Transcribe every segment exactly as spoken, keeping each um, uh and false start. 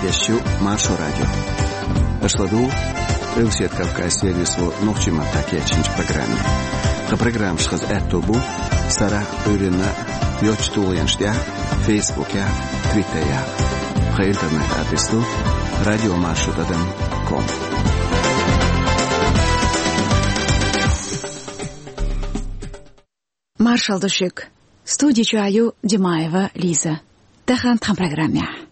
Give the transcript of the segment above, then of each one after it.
Эфирехь ю Маршо радио. Аша ладугӀу Къилбаседа Кавказан сервисо нохчийн маттахь кечйинчу программе. Тхан программаш хаза аьтто бу сарахь а, Ӏуьйранна а йоцчу тулгӀенаш тӀехь а, Фейсбукехь а, Твиттерехь а. Тхан интернет-адрес ду радиомаршо тӀадам ком. Маршалла ду шуьга. Студи чохь ю Димаева Лиза. Тахана тхан программехь.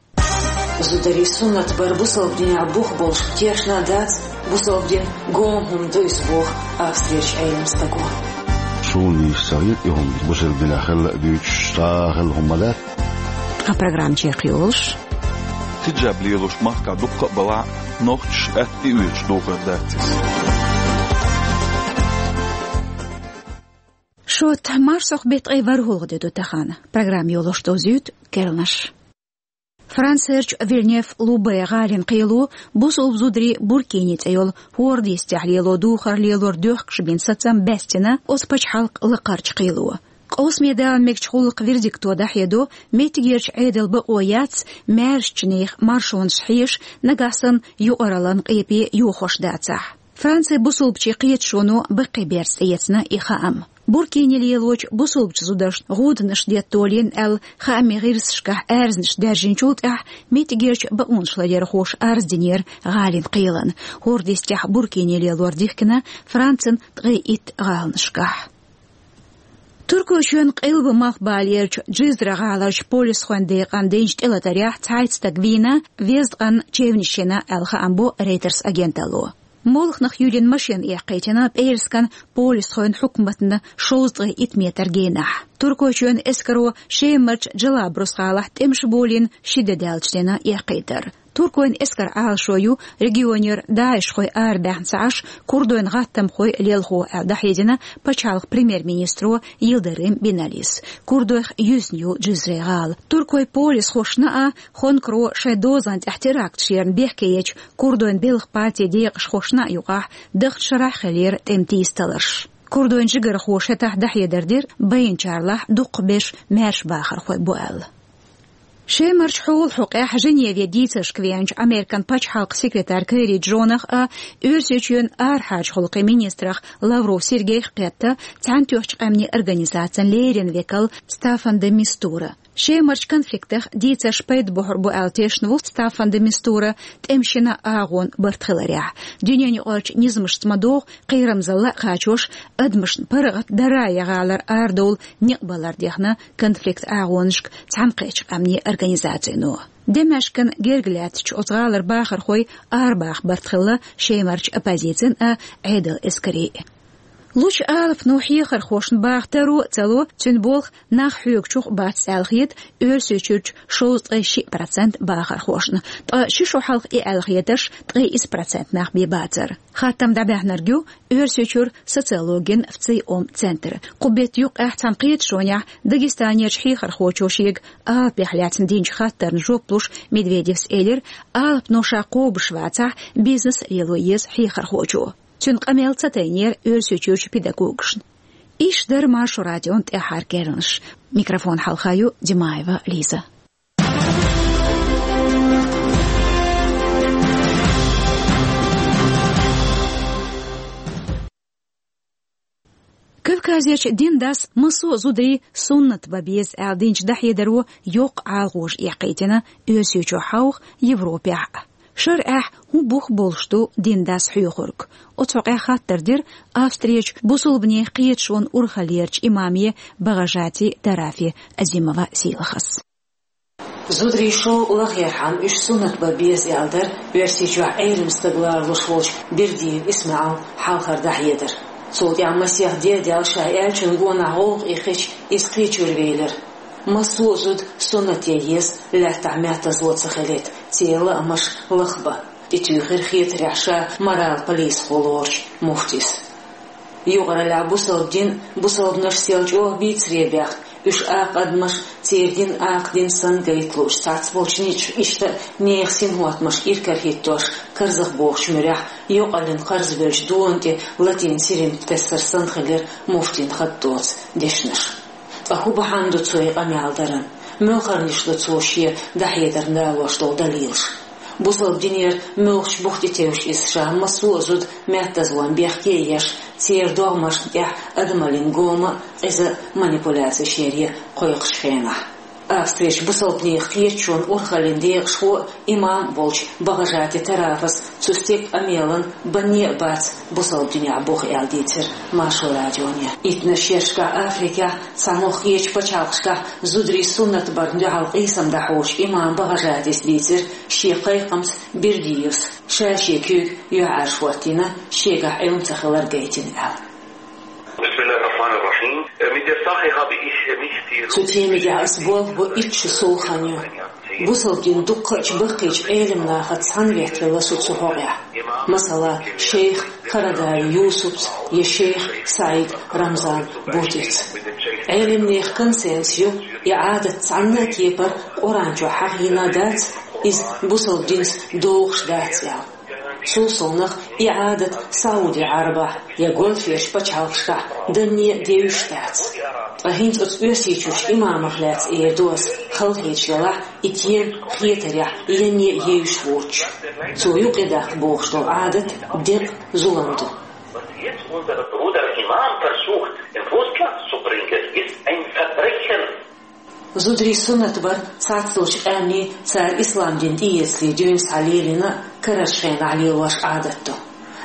Зударийн суннат бар бусалба динехь бух болуш тешна а дац, бусалба дин гома хӀума ду иза боху Австрерчу Ӏелам стага. Суна нийса ца хета и хӀума, бусалба динехь хилла а дуьйцуш, цхьа а хилла хӀума ма дац. Тхан программа чекхйолуш. Хиджаб лелош махкахь дуккха а балахь, нохчаша атта тӀеоьцуш дохар дац иза. Шот, марсхьокху беттан ткъе ворхӀалгӀа де ду тахана. Программа йолош довзуьйту керланаш. Францерчу Вильнев-Лубе гӀалин кхело бусалба зударийн Буркини цӀе йолу хӀорда йистехь лело духар лелор доьхкуш бина сацам баьстина оцу пачхьалкхан лакхарчу кхело. Къовсаме дала мегачу гӀуллакхан вердикто дӀахьедо, меттигерчу Ӏедалан бакъо яц, маьршачу нехан маршонаш хьеша, нагахь санна юкъараллин къепе йохош дацахь. Францин бусалбачийн кхеташоно баккхий берца тӀеэцна и хаам. Буркини лелочу бусалбачу зударшна гӀуданаш деттолийна аьлла, хаамийн гӀирсашкахь аьрзнаш даьржинчул тӀаьхьа меттигерчу бакъонаш ларъярхоша арз динера гӀалин кхелана. ХӀорда йистехь буркини лелор дихкина Францин ткъе итт гӀаланашкахь. Туркойчоьнан къилба-малхбалерчу Джизра гӀаларчу полисхойн декъана динчу тӀелатарехь цхьайтта стаг вийна, везткъанна чевнаш йина аьлла, хаам бо Reuters агенталло. Молханах юьллина машина эккхийтина пӀераскан полисхойн хьукматна шовзткъе итт метр генахь. Туркойчоьнан эскаро Шемарчу Джалабрус гӀалахь тӀемаш болийна ши де даьлча дина эккхийтар. Туркойн эскаран Ӏалашо ю регионера даишхой арабаьхна ца Ӏаш, курдойн гӀаттамхой лелхо аьлла дӀахьедина пачхьалкхан премьер-министро Йилдирим Биналис. Курдойх юьзна ю Джизрин гӀала. Туркойн полисхошна а, Хонкаро шайн дозан тӀехь теракташ ярна бехке ечу курдойн белхан партин декъашхошна а юкъахь даханчу шарахь хиллера тӀеман тийсаталарш. Курдойн жигархоша хӀетахь дӀахьедар дира, байинчарлахь дукхахберш маьрша бахархой бу аьлла. Шемарчу хьолан хьокъехь Женеве дийцаршка веанчу Американ пачхьалкхан секретарь Керри Джонах а, Оьрсийчоьнан арахьарчу гӀуллакхийн министрах Лавров Сергейх кхетта Цхьаьнатоьхначу Къаьмнийн Организацин леррина векал Стаффан де Мистура. Шемарчу конфликтах дийцарш пайда бохьур бу аьлла тешна ву Стаффан де Мистура тӀеман шина агӀонан барт хиларехь. Дуьненаюкъарчу низамашца ма-догӀу, кхерамзалла а кхачош, адамашна паргӀат дарран гӀалара арадовла некъ балар дехна конфликтан агӀонашка Цхьаьнакхеттачу Къаьмнийн Организацино. Дамаскан герга лаьттачу оцу гӀалара бахархой арабаха барт хилла Шемарчу оппозицин а, Ӏедалан эскарийн а. Лучу алапано хьехархошна баха таро а ца ло, цуьнан болх нах хьоьгучух бац аьлла хета Оьрсийчуьрчу шовзткъе шиъ процент бахархошна, ткъа ши шо хьалха и аьлла хетарш ткъе исс процент нах бен бацара. Хаттам дӀабаьхьнарг ю Оьрсийчуьра социологин ВЦИОМ центр. Кху беттан юккъехь цхьана кхеташонехь Дагестанерчу хьехархочо шега алапех лаьцна динчу хаттарна жоп луш Медведевс элира, алапано ша кхобуш вацахь, бизнес лело еза хьехархочо. Цуьнан къамел ца тайнера Оьрсийчуьрчу педагогашна. Иштта дара Маршо радион тӀаьххьара керланаш. Микрофон хьалха ю Димаева Лиза. Кавказерчу дин дас массо а зударийн суннат бан беза аьлла динчу дӀахьедаро йоккха Ӏалашонаш эккхийтина Оьрсийчохь хьовха, Европехь а. ШарӀехь хӀун бух болуш ду дин дас хьоьхург? Оцу хьокъехь хаттар дира Австрерчу бусалбанийн кхеташонан урхаллерчу имаме БагӀажати Тарафи Азимова Сийлахас. Зударийн шовкъ лахъярхьама уьш суннат бан беза аьлла дара Оьрсийчохь Ӏелам стаг лоруш волчу Бердиев ИсмаӀалан хьалхара дӀахьедар. Цул тӀаьхьа масех де а даьлла ша аьллачун гонах гӀовгӀа эккхича, иза кхечуьра велира. Массо а зуда суннате еза, лаьттахь меттазло ца хилийта, церан лаамаш лахбан, тӀетуьйхира хетарехь ша морал полисхо лоручу муфтис. Юкъараллехь бусалба дин бусалбанаш сел чӀогӀа бийцаре баьхна, уьш акха адамаш церан дин акха дин санна гайта лууш, цхьацца болчу низамаш иштта а нехан синхӀоттамаш иракарахӀиттош, карзахбохучу муьрехь йокъаллин кхарзабевллачу дона тӀе латин сирим тесар санна хилира муфтин хатта доцу дешнаш. Ткъа хӀун бахьана ду цо и къамел даран? Муьлхарниш ду цо шен дӀахьедарна далош долу далилаш? Бусалба динера муьлххачу бух тӀе тевжаш иза ша массо а зуда меттазлон бехке а еш, церан догӀмашна тӀехь адамаллин гома а, къиза а манипуляцеш яре а кхойкхучу хенахь. Австрерчу бусалбанех кхеташонан урхаллин декъашхо а, имам а волчу Багажати Тарафас цу стеган къамелан банне а бац бусалба динехь бух аьлла дийцира Маршо радионе. Иттаннаш шерашкахь Африкехь, цхьанхьа кхечу пачхьалкхашкахь зударийн суннат барна дуьхьал къийсам дӀахьочу имам Багажатис дийцира шен кхайкхамца Бердиевс ша шен куьйга юьхьӀаьржа хӀоттийна, шегахь Ӏилма ца хилар гайтина аьлла. بسم الله الرحمن الرحيم. Mit der Sache habe ich nicht viel Цу темигахь ас болх бо итт шу сов хан ю. Бусалба дин дуккхачу баккхийчу Ӏелам нахаца цхьаьна ветталла со цу хьокъехь. Масала, шайх Карадави Юсупца я шайх СаӀид Рамзан Бутица. Ӏелам нехан консенсус ю, и Ӏадат цхьанна а кепара Къуръан чохь хьахийна дац, иза бусалба динца догӀуш дац аьлла. Цул совнах и Ӏадат Сауди-Ӏарабахь я гольферчу пачхьалкхашкахь данне а девзаш дац. Ткъа хӀинца оцу Оьрсийчуьрчу имамах лаьцна эр ду ас, халахеташ делахь, и тема хетарехь янне а евзаш воцуш. Цо юкъадаккха бохуш долу Ӏадат декъа, зулам ду. Was jetzt unser Bruder Imam versucht, in Russland zu bringen, ist ein Verbrechen. Зударийн суннат бар цхьацдолчу къаьмнийн цара ислам дин тӀеэцале дуьйна схьа лелийна а, карарчу хенахь лелош Ӏадат ду.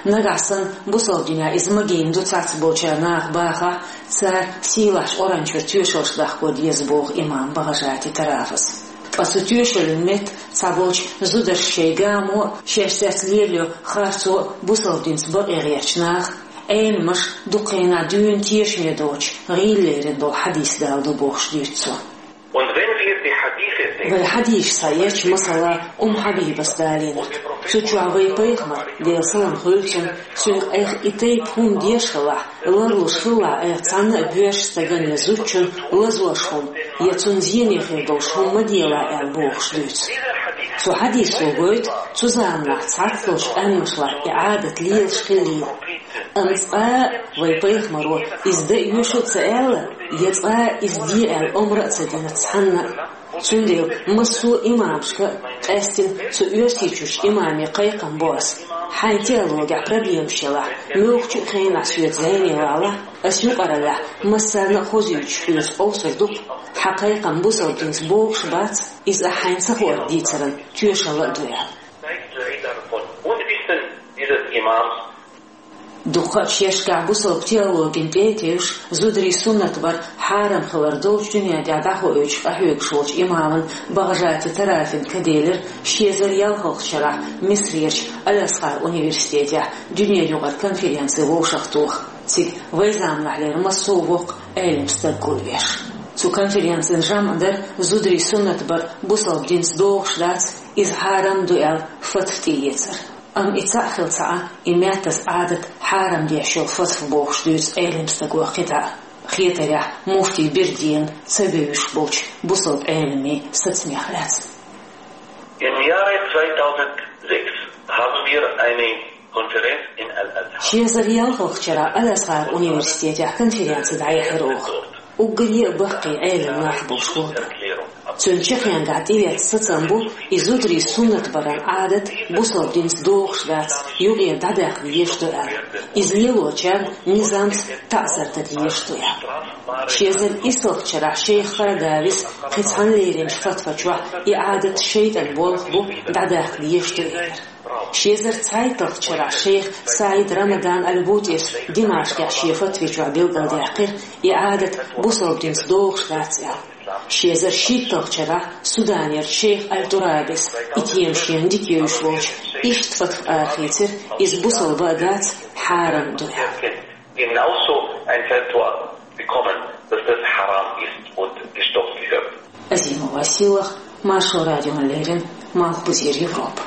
Нагахь санна бусалба динехь иза магийна ду цхьацболчара наха бахахь, цара сийлахьчу Къуръан чуьра тоьшаллаш даккхо деза, боху имам Багажати Тарафас. Ткъа цу тоьшаллин метта цхьаболчу зударша шайн гамо а, шаьш цецлелайо харцо а бусалба динца бакъе гӀертачу наха, Ӏеламаша дукха хенахь дуьйна тешаме доцуш гӀийла лерина долу хьадис дала ду бохуш дуьйцу цо. Und wenn wir die Hadithe sehen, Вай хьадисаш схьаэцча, масала, Умм Хьабибас далийна. Цу чохь вай пайхамар, Делан салам хуьлда цунна, цуьнга айхьа и тайпа хӀума деш хилахь, ларлуш хилахь, айхьа цхьанна а боьрша стагана я зудчунна лазош хӀума, я цунна зене хир долуш хӀума ма делахь аьлла бохуш дуьйцу. Цу хьадисо гойту цу заманахь цхьацдолчу къаьмнашлахь и Ӏадат лелаш хиллийла. Амма цкъа а вай пайхамаро иза дан оьшу а ца аьлла, я цкъа а иза де аьлла омра а ца дина цхьанна а. Цундела массо а имамашка а, къаьстина цу Оьрсийчуьрчу имаме кхайкхам бо ас: хьайн теологехь проблемаш ялахь, муьлххачу а хенахь соьца зӀене валахь, ас юкъараллехь массарна а хозуьйтуш хьоьца къовсур ду-кх, хьан кхайкхам бусалба динца богӀуш бац, иза ахь хьайна ца хуур дийцаран тоьшалла а ду аьлла. Zeigt leider von Unwissen dieses Imams. Дуккха а шерашкахь бусалба теологина тӀе а тевжаш, зударийн суннат бар хьарам хилар долчу дуьнен тӀехь дӀахоуьйтуш къахьоьгуш волчу имаман Багажати Тарафин каделира ши эзар ялхалгӀачу шарахь Мисрерчу Аль-Асхар университетехь дуьненаюкъара конференци вовшахтоха. Цига вай заманахьлера массо а воккха Ӏелам стаг гулбеш. Цу конференцин жамӀ дара зударийн суннат бар бусалба динца догӀуш дац, иза хьарам ду аьлла фатва тӀеэцар. Амма и цхьаъ хилла ца Ӏа, и меттаза Ӏадат хьарам деш йолу фатва бохуш дуьйцу Ӏелам стага кхидӀа а, хетарехь, муфтий Бердиевна ца вевзаш болчу бусалба Ӏеламийн сацамех лаьцна. Im Jahre zweitausendsechs haben wir eine Konferenz in Al-Azhar. Ши эзар ялхалгӀачу шарахь Аль-Асхар университетехь конференци дӀаяьхьира оха. Уггар а баккхий Ӏелам нах болуш бу. Цуьнан чаккхенгахь тӀеэцна сацам бу, и зударийн суннат баран Ӏадат бусалба динца догӀуш дац, юкъера дӀадаккха дезаш ду аьлла. Иза лелочарна низамца таӀзар дан дезаш ду аьлла. Ши эзар иссалгӀачу шарахь шайх Карадавис кхин цхьана леринчу фатва чохь и Ӏадат шайтӀан болх бу, дӀадаккха дезаш ду элира. Ши эзар цхьайтталгӀачу шарахь шайх СаӀид Рамадан Аль-Бутис Димашкъехь шен фатви чохь билгалдаьккхира, и Ӏадат бусалба динца догӀуш дац аьлла. Ши эзар шийтталгӀачу шарахь Суданерчу шайх Аль-Турабис, и тема шена дика евзаш волчу, иштта фатва арахийцира, иза бусалба а дац, хьарам а ду аьлла. Genauso ein Fatwa bekommen, dass das haram ist und gestoppt gehört. Азимова Силах, Маршо радиона леррина, Малхбузера Европа.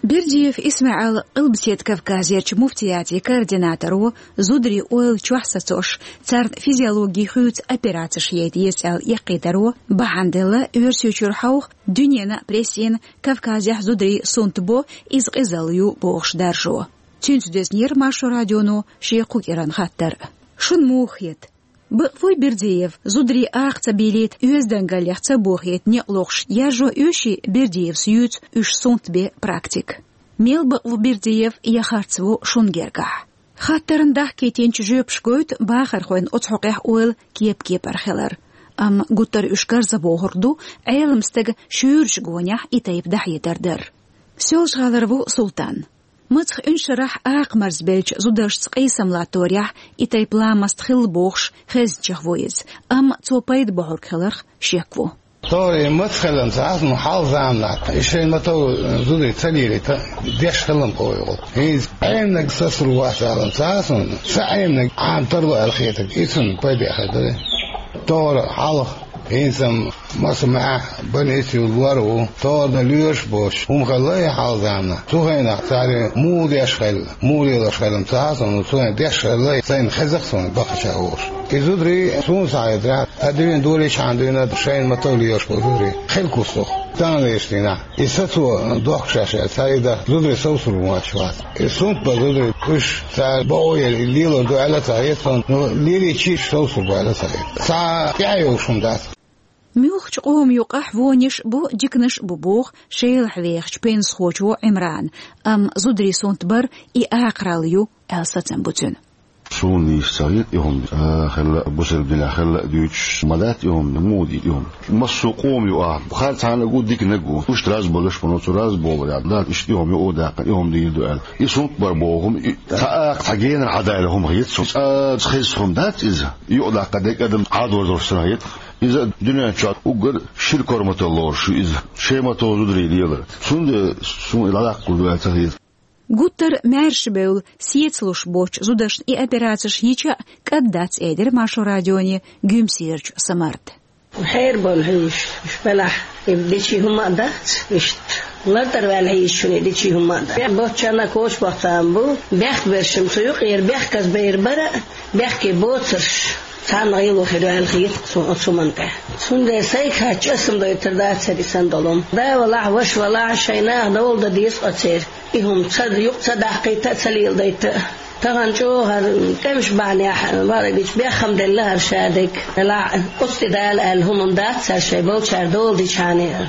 Бердиев ИсмаӀал Къилбаседа Кавказерчу муфтиятийн координаторо, зударийн ойла чохь сацош, царна физиологи хуьйцу операцеш яйта еза аьлла эккхийдаро бахьана делла Оьрсийчуьра хьовха, дуьненан а прессина Кавказехь зударийн суннат бо, иза къизалла ю бохуш даржо. Цуьнца доьзнера Маршо радионо шен кху кӀиран хаттар. Шуна муха хета? Бакъ вуй Бердиев, зударий акха ца бийлийта, оьздангаллех ца бохийта некъ лохуш, яржо оьший Бердиевс юьйцу уьш сунт бен практика? Мел бакъ ву Бердиев я харц ву шуна гергахь? Хаттарна дахкийтинчу жоьпаш гойту бахархойн оцу хьокъехь ойла кеп-кепара хилар. Амма гуттар а уьш карза бохург ду, Ӏелам стага шуьйрачу гонехь и тайпа дӀахьедар дар. Соьлжа-ГӀалара ву Султан. Мацах уьншарахь акха марзбеллачу зударшца къийсам латторехь и тайпа ламаст хилла бохуш, хезначех ву иза, амма цо пайда бохьург хиларх шек ву. Тора и маца хилла ца хьаьсна хьалха заманахь, и шайн матов зударий ца лелийта, деш хилла кхойгӀу. ХӀинца Ӏемнаг сацар вац аьлла ца хьаьсна, ца Ӏемнаг Ӏам тарло аьлла хетарг, и цунна пайда хир дара. Тора хьалха, хӀинца-м маса маьӀ, больница юла лор ву, тора дан лоьраш боцуш, хӀума хилла и хьалха заманахь. Цу хенахь цара муха деш хилла, муха лелош хилла ца хьаьсна, цу хенахь деш хилла, сайна хеза-кх суна бахача волуш. И зударий суна схьахетарехь, ткъа дуьйна долийчхьана дуьйна шайна матов лелаш болу зударий хилла кустух. Тахана лелаш дийнахь, и сацо дохкуш шаьш аьлла, цхьа и дан зударий совсур вац. И сунт бан зударий, уьш цара бакъо яра, и лелор ду аьлла ца хета суна, но лелийча уьш совсур бу аьлла ца хета. Цхьа тӀаьхьа йолуш хӀума дац. Муьлххачу къоман юкъахь вониш а бу, диканаш а бу, боху Шелахь вехачу пенсахочо Ӏимрана, амма зударий сунт бар и акхаралла ю аьлла сацам бу цуьнан. Суна нийса ца хета и хӀума, а, хилла а, бусалба динехь хилла а дуьйцуш ма дац и хӀума, муха дийр и хӀума. Массо а къоман ю ахь, хӀара цхьаннаг ву, диканнаг ву. Уьш раза болуш, но цу раза болу яц, дац, иштта и хӀума ю, о даккха, и хӀума дийр ду аьлла. И сунт бар боху хӀума, и цхьа акха, цхьа генара хьадайла хӀума хета суна. Цкъа хеза хӀума дац иза. Юкъадаккха дерг адам Ӏадор долуш санна хета. Иза дуьнен чохь уггар шира корматалла лоруш ю иза, шайн матов зударий лелар. Цундела суна и дӀадаккхалур ду аьлла ца хета. Гуттар а маьрша бевлла, сецалуш боцчу зударшна и операцеш йича а кӀад дац, элира Маршо радионе Гуьмсерачу Самарта. Хьерабовла хьийзаш уьш белахь, и дичи хӀума а дац, иштта лартӀара ваьлла хьийзаш шуна и дичи хӀума а дац. Боцчарна а коча бохцарна бу, бехк берш-м цу юкъера бехказа бер бара а, бехке боцурш царна гӀело хир ю аьлла хета суна оцу хӀуманна тӀехь. Цундела сайга хьаьжча, аса-м дойтур дацара и санна долу хӀума. Да валахь, ваша валахь, шайн наха довла дан деза оцеран. И хӀума ца юкъа ца даккхийта а, ца леладайта а. Тахана чӀогӀа хӀара тӀемаш бахьанехь, бакъдерг дийцича, беххам делла хӀара шадерг. Делахь а, оцу тӀе дала аьлла хӀума-м дац цара шайн болчара дола дичхьана а.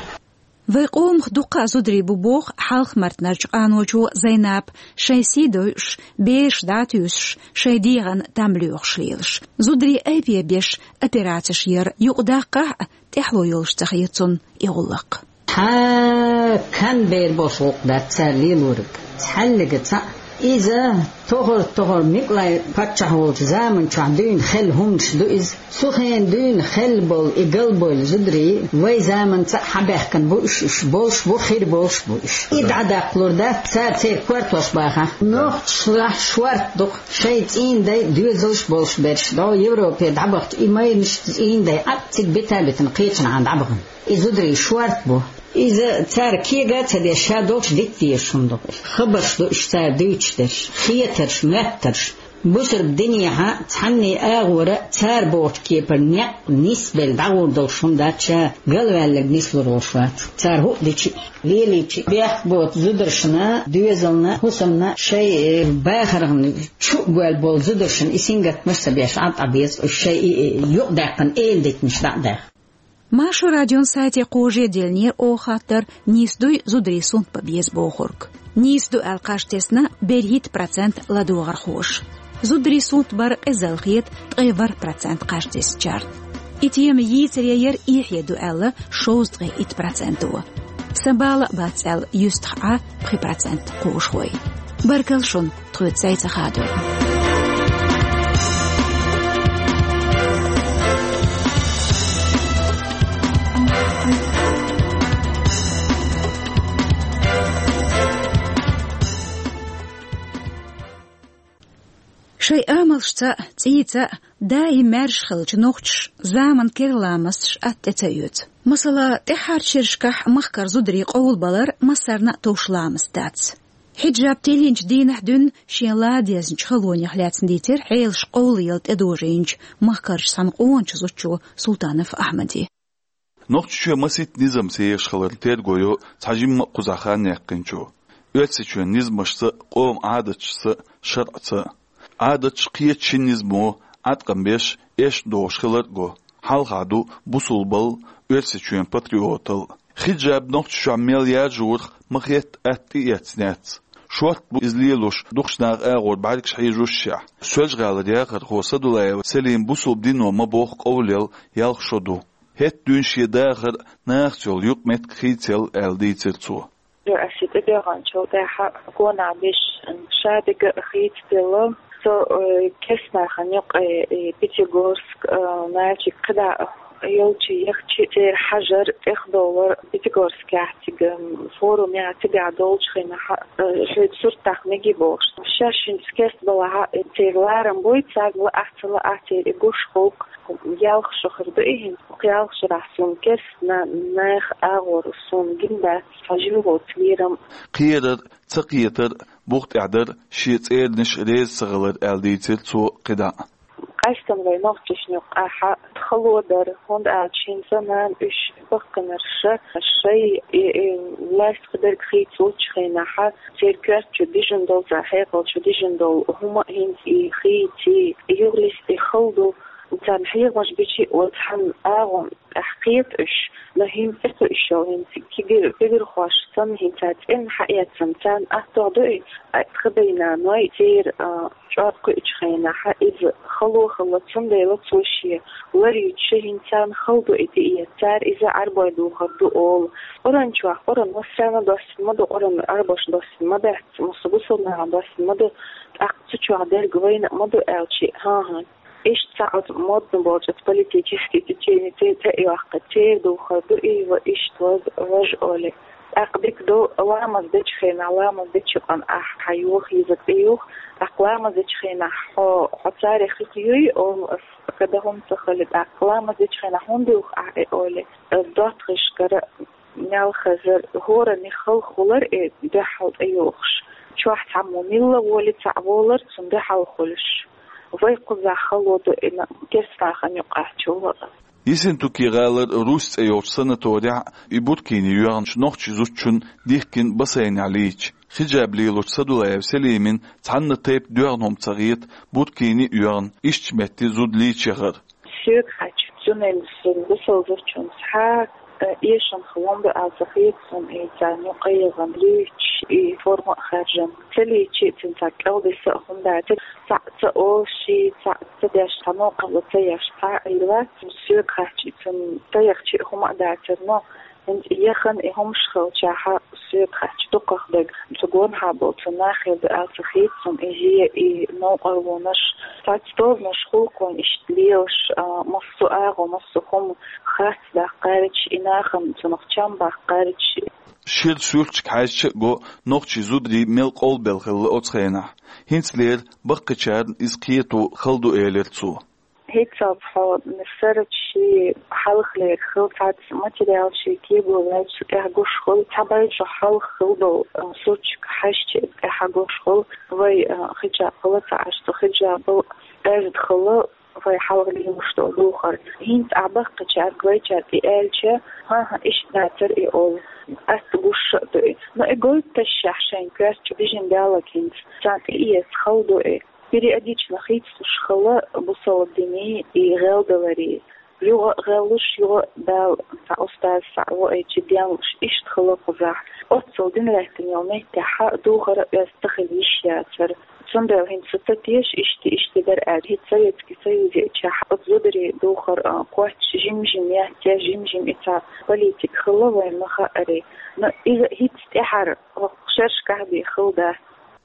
Вайн къомах дуккха а зударий бу, боху Хьалха-Мартанарчу къаночо Зайнапа, шайн сий дойуш, бераш дӀатуьйсуш, шайн дегӀан там лоьхуш лелаш. Зударий айбе беш операцеш яр юкъадаккхахь а, тӀаьхьало йолуш ца хета цунна и гӀуллакх. Цхьа кан бер болуш гӀуллакх дац цара лелориг. Цхьаьллига цхьаъ. Иза тохар-тохар Микълай паччахь волчу заман чохь дуьйна хелла хӀуманаш ду иза. Цу хенахь дуьйна хелла болу и галбевлла зударий вайн заманца а хьабаьхкина бу уьш, уьш болуш бу, хир болуш бу уьш. И дӀадаккхалур дац, цара церан кортош бахахь. Нохчашлахь шорта ду-кх шайн цӀийнан дай доьзалш болуш берш, дӀо Европе дӀабахча и майрнаш цӀийнан дай Ӏад цига бита а битина, кхечанхьа дӀабахана. И зударий шорта бу. Иза цара кега а ца деш, ша долчу дита дезаш хӀума ду. Хабарш ду уьш цара дуьйцуш дерш, хетарш, моьттарш. Бусалба динехьа цхьанне агӀора цара бохучу кепара некъ нисбелла дӀагӀур долуш хӀума дац, ша галваьлларг нислур волуш вац. Цара хӀуъа дичи а, лелийчи а бехк боцу зударшна, доьзална, хӀусамна, шайн, э, бахархна чу а гоьлла болу зударшна и сингаттамаш а ца беш, Ӏад Ӏа беза, уьш шайн и, и юкъадаьккхина эладитанаш дӀа а даьхна. Маршо радион сайте кхожаделлера оха хаттар: нийса дуй зударий сунт бан беза бохург? Нийса ду аьлла кхаж тесна берхӀитта процент ладогӀархоша. Зударий сунт бар къизалла хета ткъе ворхӀ процент кхаж тесначарна. И тема йийцаре яра эхье ду аьлла шовзткъе итт проценто. Сан бала а бац аьлла юьстах Ӏа пхи процент кхожахой. Баркалла шуна тхоьца цӀа хадорна. Шайн амалшца а, цӀийца а даим маьрша хиллачу нохчаша заманан керла ламасташ атта тӀе ца оьцу. Масала, тӀаьххьарчу шерашкахь махкара зударий къовлабалар массарна а товш ламаст дац. Хьиджаб тиллинчу дийнахь дуьйна шен ладезнчу халонех лаьцна дийцира Ӏелаш къовлаяла тӀедожийначу махкарчу цхьана къоначу зудчо Султанов Ахьмаде. Нохчийчоь масийтта низам сехаш хилар терго йо цхьа жимма а кхузахь хан яьккхинчо. Оьрсийчоьнан низамашца а, къоман Ӏадаташца а, шарӀаца а. Ӏадаташ кхечу шина низамо Ӏаткъам беш, эшна догӀуш хилар а го. Хьалха ду бусулбал, Оьрсийчоьнан патриотал. Хиджаб Нохчийчохь мел яржорах ма хетта атта тӀеэцнехь. Шортта бу иза лелош дукхачу наха агӀор бӀаьргаш хьежошшехь. Соьлжа-ГӀалара яхархо Садулаева Селима бусулба дино ма-бохху къовлаелла ялх шо ду. ХӀетахь дуьйна шен дахар а, нахаца йолу юкъаметтиг хийцаелла аьлла дийцира цо. Ас и тӀедоьгӀначул тӀаьхьа гонах беш шадерг а хийцаделла. Со, э, керста нахана юкъа, э, Пятигорск, э, Нальчик кхидӀа йолчу яхча церан хьажар, тӀехдовлар Пятигорскехь цига, м, форумехь цигахь долчу хенахь, э, шуьца сурт тахна мегий бохуш. Шаьш хӀинца керста балахь, э, церан ларам буй, царна лаахь а, ца лаахь а, церан и гуш хуьлу. Ялх шо хир ду и хӀинца. Кху ялх шарахь суна керста на-, нах агӀор суна гина дац, хьажа йолу лерам. Кхерар, ца кхетар, бух тӀехь дар, шен цӀернаш реза ца хилар аьлла дийцира цо кхидӀа. Къаьсттина вай нохчашна юкъахь хало дара, хӀунда аьлча хӀинца нана уьш баккхинарш шай, и, и, власть кхидерг хийцалучу хенахь, церан коьрта чу дижина долу, церан хьекъал чу дижина долу хӀума а хӀинца и хийций, и юхалисте хала ду, царна хьехамаш бичи а оцу хьан агӀо тӀехь кхета уьш, но хӀинца тӀекхуьуш йолу хӀинца кегир-, кегирхош санна хӀинца цӀенна хьаэцна, царна аттох ду и, а, тхан дай-наной церан, а, чӀор кхуьучу хенахь иза хало хилла, цундела цо шен лар юьтуш хӀинца царна хала ду и тӀеэца, цара иза Ӏарбой духур ду олу. Къуръан чохь, Къуръан массарна доссина ма ду, Къуръан Ӏарбош доссина ма дац, массо бусулба нахана доссина ма ду, тӀаккха цу чохь дерг вайна а ма ду аьлча, хӀан-хӀа. Иштта цхьа оцу модна болчу оцу политический теченица тӀе а йоккху, церан духар ду и, ва иштта ваз-, важа олий. ТӀаккха дика ду, ламаз дечу хенахь, ламаз дечу къан ахь хьан юха йиза тӀеюха, тӀаккха ламаз дечу хенахь хьо, хьо царах хих юй, олу ас, када хӀума ца хали, тӀаккха ламаз дечу хенахь хӀунда юха ахь и олий. Ас доттагӀашкара мел хазар, хӀоранна халхалар и дуьхьал тӀеюхуш. Чохь цхьаммо милла воли цхьаъ волар, цунна дуьхьал хуьлуш. Вай кхузахь хало ду и на-, керста нахана юкъахь чу ваха. Ессентуки гӀалара Русь цӀе йолчу санаторехь и буркини йоьгӀначу нохчийн зудчунна дихкина бассейнехь лийча. Хиджаб лелочу Садулаева Селимина цхьанна тайпа доьгӀна хӀума ца хета, буркини а йоьгӀна, иштта метте зуда лийча яхар. Соьга хаьттича, цундела суна бусалба зудчунна схьа, э, эшам хилла ма ду аьлла ца хета суна, и царна юкъа яхана луьйчуш, и форма а хаьржина. Ца лийча а, цуьнан цхьа кӀелдиса а хӀума дацара, цхьаъ ца олуш, цхьаъ ца деш, цхьа новкъарло ца еш, цхьа а хир вац. Соьга хаьттича, цуьнан ца яхча а хӀума а дацара, но хӀинца и яхана и хӀумаш хилчахьа, соьга хаьттича, дукхах дерг цу гонахьа болу цу нахе ду аьлла ца хета суна, и зен, и новкъарлонаш. Цхьацца тобанаш хуьлу-кх вайн иштта лелаш, а, массо а агӀо, массо а хӀума харц даккхарча, и нахана цунах чам баккхарча. Шира суьрташка хьаьжча а го, нохчийн зударий мел къовлабелла хилла оцу хенахь. ХӀинцалера баккхийчарна иза кхето хала ду, элира цо. ХӀинцалц хьо сарачу шен хьалхалера хила цхьацца материал, шен кего ваьлча, цу тӀехь гуш хуьлу, цхьа бай чохь хьалха хила долу, а, сурташка хьаьжча, тӀехь гуш хуьлу, вай, а, хиджаб хила ца Ӏаш, цу хиджабал аьрда хила, вай хьалха лелош долу духар. ХӀинца ахь баккхийчаьрга, вайчаьрга и аьлча, хӀан-хӀа, иштта дацара и олу. Атта гуш а ду и. Но и гойтуш шайн коьрта чу бижина даллалц хӀинца, царна тӀеэца хала ду и. Периодично хийцалуш хила бусалба динан и гӀелдаларий. Юха а гӀеллуш, юха а Дала цхьа устаз схьа а ваийча денлуш, иштта хила кхузахь. Оццул дин гӀеттина йолу меттехь духар а оьзда ца хила йиш яцара. Цундела хӀинца со ца теша, иштта, иштта дара аьлла, хӀинца Советский Союзехь оцу зударий духар, а, кхоччуш жим-жим яц, я жим-жим и цхьа политика хилла вайн ма хаъара. Но иза хӀинца тӀаьхьара хӀокху шерашкахь бен хила дац.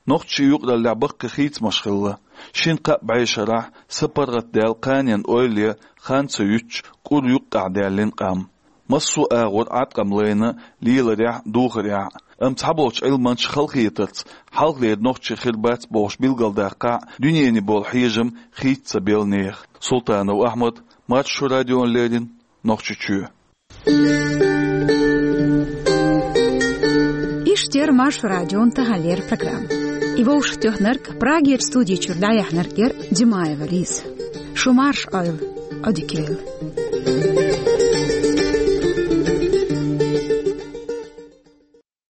Нохчийн юкъараллехь баккхий хийцамаш хилла. Шина-кхаа бӀешарахь са паргӀатдаьлла кханенан ойла ян хан ца юьтуш, кӀур юккъехь даьллина къам. Массо а агӀор Ӏаткъам лайна леларехь а, духарехь а. Амма цхьаболчу Ӏилманчаша халахетарца, хьалхалера нохчий хир бац бохуш билгалдаккхахь а, дуьненан болу хьежам хийца ца белла нехан. Султанов Ахьмад, Маршо радиона леррина, Нохчийчоь. Иштта яра Маршо радион таханлера программа. И вовшахтоьхнарг, Прагерчу студи чуьра дӀаяьхьнарг яра Димаева Лиза. Шу марша Ӏойла, Ӏодика йойла.